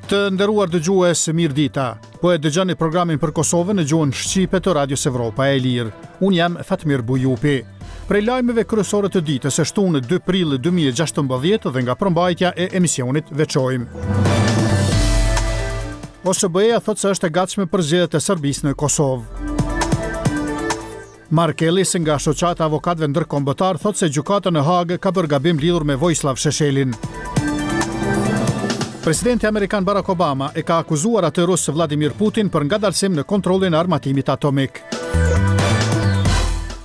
Të nderuar dëgjues, mirëdita. Po e dëgjoni programin për Kosovën në gjuhën shqipe të Radios Evropa e Lirë. Unë jam Fatmir Bujupi. Prej lajmeve kryesore të ditës së shtunë 2 prill 2016 dhe nga përmbajtja e emisionit veçojmë. OSBE-ja thotë se është e gatshme për zgjedhjet e Serbisë në Kosovë. Mark Ellis nga Shoqata e Avokatëve Ndërkombëtarë thotë se gjykata në Hagë ka bërë gabim lidhur me Vojislav Sheshelin. Presidenti amerikan Barack Obama e ka akuzuar atë rus Vladimir Putin për ngadalësim në kontrollin e armatimit atomik.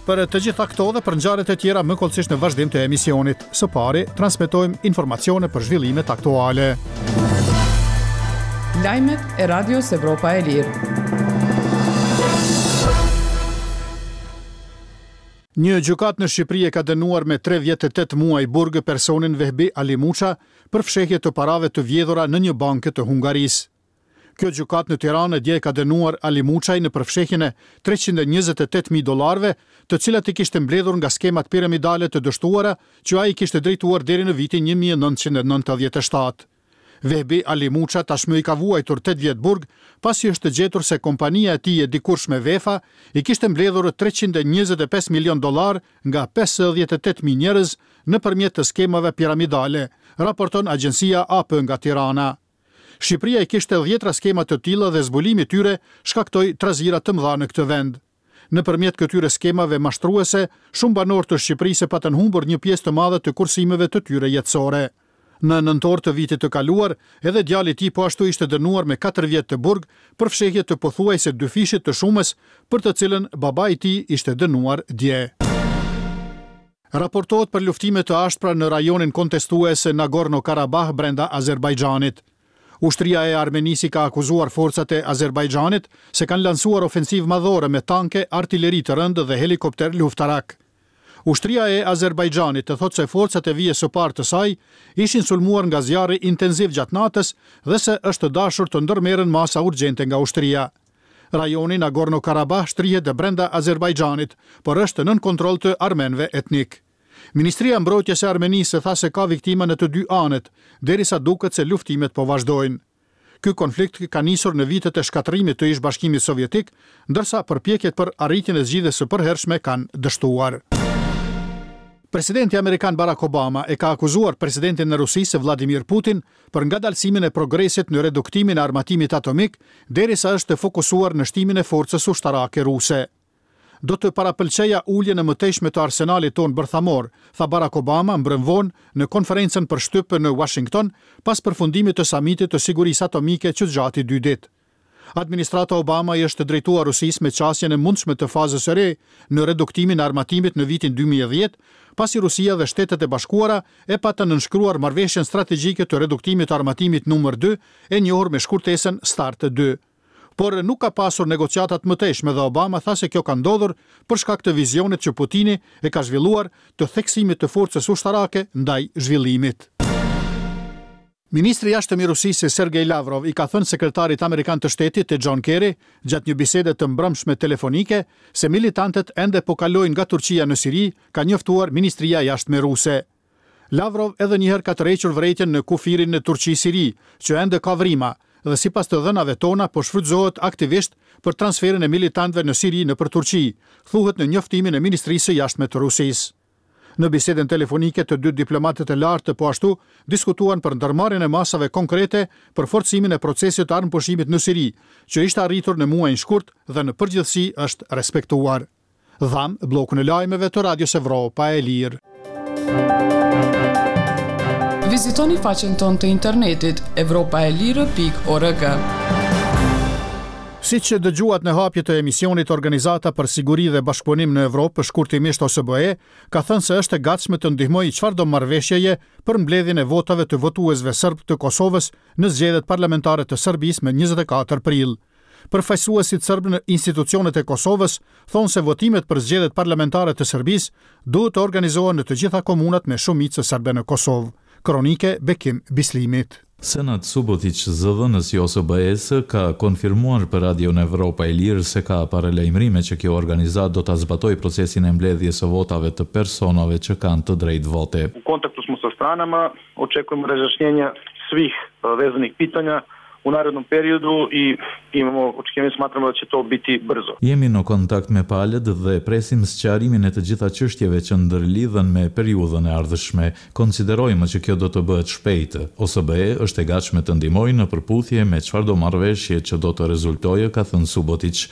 Për të gjitha këto dhe për ngjarjet e tjera më hollësisht në vazhdim të emisionit. Së pari, transmetojmë informacione për zhvillimet aktuale. Lajmet e Radios Evropa e Lirë. Një gjykatë në Shqipëri e ka dënuar me 3 vjet e 8 muaj burg personin Vehbi Alimuça për fshehje të parave të vjedhura në një bankë të Hungarisë. Kjo gjykatë në Tiranë dje e ka dënuar Alimuçajn për fshehjen e 328.000 dollarëve, të cilat i kishte mbledhur nga skemat piramidale të dështuara që ai i kishte drejtuar deri në vitin 1997. Vehbi Alimuça tashmë i ka vuajtur 8 vjet burg, pasi është gjetur se kompania e tij e dikurshme Vefa i kishte mbledhur 325 milion dollarë nga 58.000 njerëz nëpërmjet të skemave piramidale, raporton agjencia AP nga Tirana. Shqipëria i kishte dhjetra skema të tilla dhe zbulimi i tyre shkaktoi trazira të mëdha në këtë vend. Nëpërmjet këtyre skemave mashtruese, shumë banorë të Shqipërisë patën humbur një pjesë të madhe të kursimeve të tyre jetësore. Në nëntor të vitit të kaluar, edhe djali i tij po ashtu ishte dënuar me katër vjet të burg për fshehje të pothuajse dyfishit të shumës për të cilën babai i tij ishte dënuar dje. Raportohet për luftime të ashpra në rajonin kontestues Nagorno-Karabah brenda Azerbajxhanit. Ushtria e Armenisë i ka akuzuar forcat e Azerbajxhanit se kanë lansuar ofensivë madhore me tanke, artileri të rëndë dhe helikopterë luftarakë. Ushtria e Azerbajxhanit thotë se forcat e vijës së parë të saj ishin sulmuar nga zjarri intensiv gjatë natës dhe se është dashur të ndërmerren masa urgjente nga ushtria. Rajoni Nagorno-Karabah shtrihet brenda Azerbajxhanit, por është nën kontroll të armenëve etnikë. Ministria e Mbrojtjes e Armenisë tha se ka viktima në të dy anët, derisa duket se luftimet po vazhdojnë. Ky konflikt ka nisur në vitet e shkatërrimit të ish-Bashkimit Sovjetik, ndërsa përpjekjet për arritjen e zgjidhjes së përhershme kanë dështuar. Presidenti amerikan Barack Obama e ka akuzuar presidentin e Rusisë Vladimir Putin për ngadalësimin e progresit në reduktimin e armatimit atomik, derisa është fokusuar në shtimin e forcës ushtarake ruse. Do të parapëlqeja uljen e mëtejshme të arsenalit tonë bërthamor, tha Barack Obama mbrëmë vonë në konferencën për shtyp në Washington, pas përfundimit të samitit të sigurisë atomike që zgjati dy ditë. Administrata Obama i është drejtuar Rusisë me qasjen e mundshme të fazës së re në reduktimin e armatimit në vitin 2010, pasi Rusia dhe Shtetet e Bashkuara e patën nënshkruar marrëveshjen strategjike të reduktimit të armatimit numër 2, e njohur me shkurtesën START 2. Por nuk ka pasur negociata të mëtejshme dhe Obama tha se kjo ka ndodhur për shkak të vizionit që Putini e ka zhvilluar të theksimit të forcës ushtarake ndaj zhvillimit. Ministri i Jashtëm i Rusisë Sergej Lavrov i ka thënë sekretarit amerikan të shtetit John Kerry gjatë një bisede të mbrëmshme telefonike se militantët ende po kalojnë nga Turqia në Siri, ka njoftuar Ministria e Jashtme ruse. Lavrov edhe një herë ka tërhequr vërejtjen në kufirin Turqi-Siri, që ende ka vrima dhe sipas të dhënave tona po shfrytëzohet aktivisht për transferin e militantëve në Siri nëpër Turqi, thuhet në njoftimin e Ministrisë së Jashtme të Rusisë. Në bisedën telefonike të dy diplomatët e lartë po ashtu diskutuan për ndërmarrjen e masave konkrete për forcimin e procesit të armëpushimit në Siri, që ishte arritur në muajin shkurt dhe në përgjithësi është respektuar. Dhamë bllokun e lajmeve të Radios Evropa e Lirë. Vizitoni faqen tonë të internetit evropaelire.org. Siç dëgjuat në hapje të emisionit, Organizata për Siguri dhe Bashkëpunim në Evropë, shkurtimisht OSBE, ka thënë se është e gatshme të ndihmojë çfarëdo marrëveshjeje për mbledhjen e votave të votuesve serbë të Kosovës në zgjedhjet parlamentare të Serbisë më 24 prill. Përfaqësuesit serbë në institucionet e Kosovës thonë se votimet për zgjedhjet parlamentare të Serbisë duhet të organizohen në të gjitha komunat me shumicë serbe në Kosovë. Kronikë Bekim Bislimit. Senad Subotiq, zëdhënës i OSBE-së, ka konfirmuar për Radion Evropa e Lirë se ka paralajmërime që kjo organizatë do ta zbatojë procesin e mbledhjes së votave të personave që kanë të drejtë vote. U kontaktu smo sa stranama, očekujemo razjašnjenja svih vezanih pitanja. U narednom periodu i imamo očekivanje, smatramo da će to biti brzo. Jemi në kontakt me palët dhe presim sqarimin e të gjitha çështjeve që ndërlidhen me periudhën e ardhshme. Konsiderojmë që kjo do të bëhet shpejt. OSBE është e gatshme të ndihmojë në përputhje me çfarëdo marrëveshje që do të rezultojë, ka thënë Subotiq.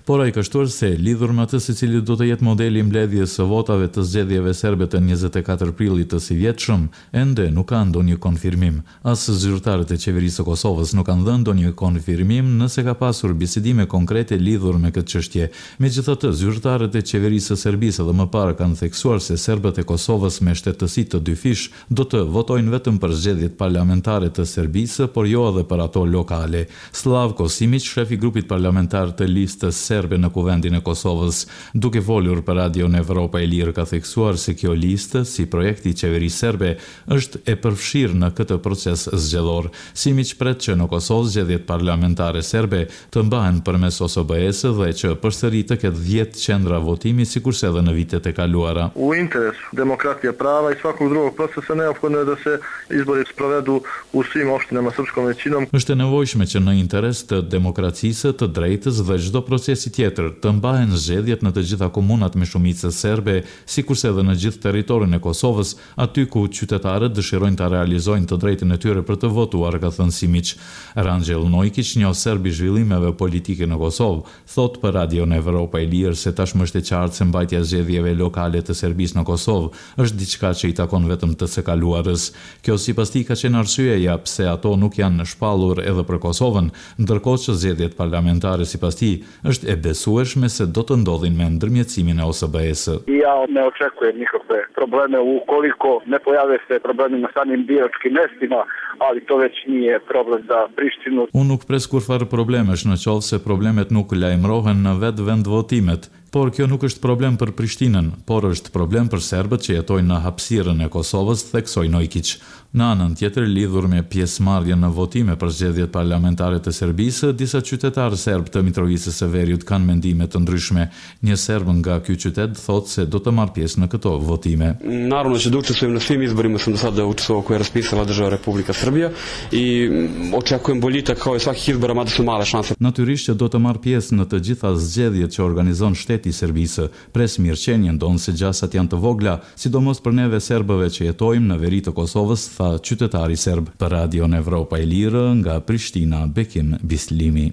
Por ai ka shtuar se, lidhur me atë se cili do të jetë modeli i mbledhjes së votave të zgjedhjeve serbe të 24 prillit të sivjetshëm, ende nuk ka ndonjë konfirmim. As zyrtarët e Qeverisë së Kosovës nuk kanë dhënë ndonjë konfirmim nëse ka pasur bisedime konkrete lidhur me këtë çështje. Megjithatë, zyrtarët e Qeverisë së Serbisë edhe më parë kanë theksuar se serbët e Kosovës me shtetësi të dyfishtë do të votojnë vetëm për zgjedhjet parlamentare të Serbisë, por jo edhe për ato lokale. Slavko Simiq, shef i grupit parlamentar të Listës Serbe në Kuvendin e Kosovës, duke folur për Radion Evropa e Lirë ka theksuar se kjo listë, si projekt i Qeverisë serbe, është e përfshirë në këtë proces zgjedhor. Simiq pret që në Kosovë zgjedhjet parlamentare serbe të mbahen përmes OSBE-së dhe që përsëri të ketë dhjetë qendra votimi sikurse edhe në vitet e kaluara. U interesu demokratije, prava i svakog drugog procesa neophodno je da se izbori sprovedu u svim opštinama srpskom većinom. Është e nevojshme që në interes të demokracisë, të drejtës dhe çdo procesi tjetër, të mbahen zgjedhjet në të gjitha komunat me shumicë serbe, sikurse edhe në gjithë territorin e Kosovës, Aty ku qytetarët dëshirojnë ta realizojnë të drejtën e tyre për të votuar, ka thënë Simiq. Rangjel Nojkiq, njohës serb i zhvillimeve politike në Kosovë, thotë për Radion Evropa e Lirë se tashmë është e qartë se mbajtja e zgjedhjeve lokale të Serbisë në Kosovë është diçka që i takon vetëm të së kaluarës. Kjo sipas tij ka qenë arsyeja pse ato nuk janë shpallur edhe për Kosovën, ndërkohë që zgjedhjet parlamentare sipas tij Është e besueshme se do të ndodhin me ndërmjetësimin e OSBE-së. Ja ne očekujem nikakve probleme ukoliko ne pojave se problemi na samim biračkim mestima, ali to već nije problem za Prištinu. Unë nuk pres kurrfarë problemesh në qoftë se problemet nuk lajmërohen në vetë vendvotimet. Por kjo nuk është problem për Prishtinën, por është problem për serbët që jetojnë në hapësirën e Kosovës, theksoi Nojkiq. Në anën tjetër, lidhur me pjesëmarrjen në votime për zgjedhjet parlamentare të Serbisë, disa qytetarë serbë të Mitrovicës së Veriut kanë mendime të ndryshme. Një serb nga ky qytet thotë se do të marrë pjesë në këto votime. Naravno da ću da učestvujem na svim izborima sam do sada učestvovao koje je raspisala država Republika Srbija i očekujem boljitak kao i svakih izbora mada su male šanse. Natyrisht që do të marr pjesë në të gjitha zgjedhjet që organizon shteti i Serbisë. Pres mirëqenie ndonëse gjasat janë të vogla, sidomos për neve serbëve që jetojmë në veri të Kosovës, tha qytetari serb për Radion Evropa e Lirë nga Prishtina, Bekim Bislimi.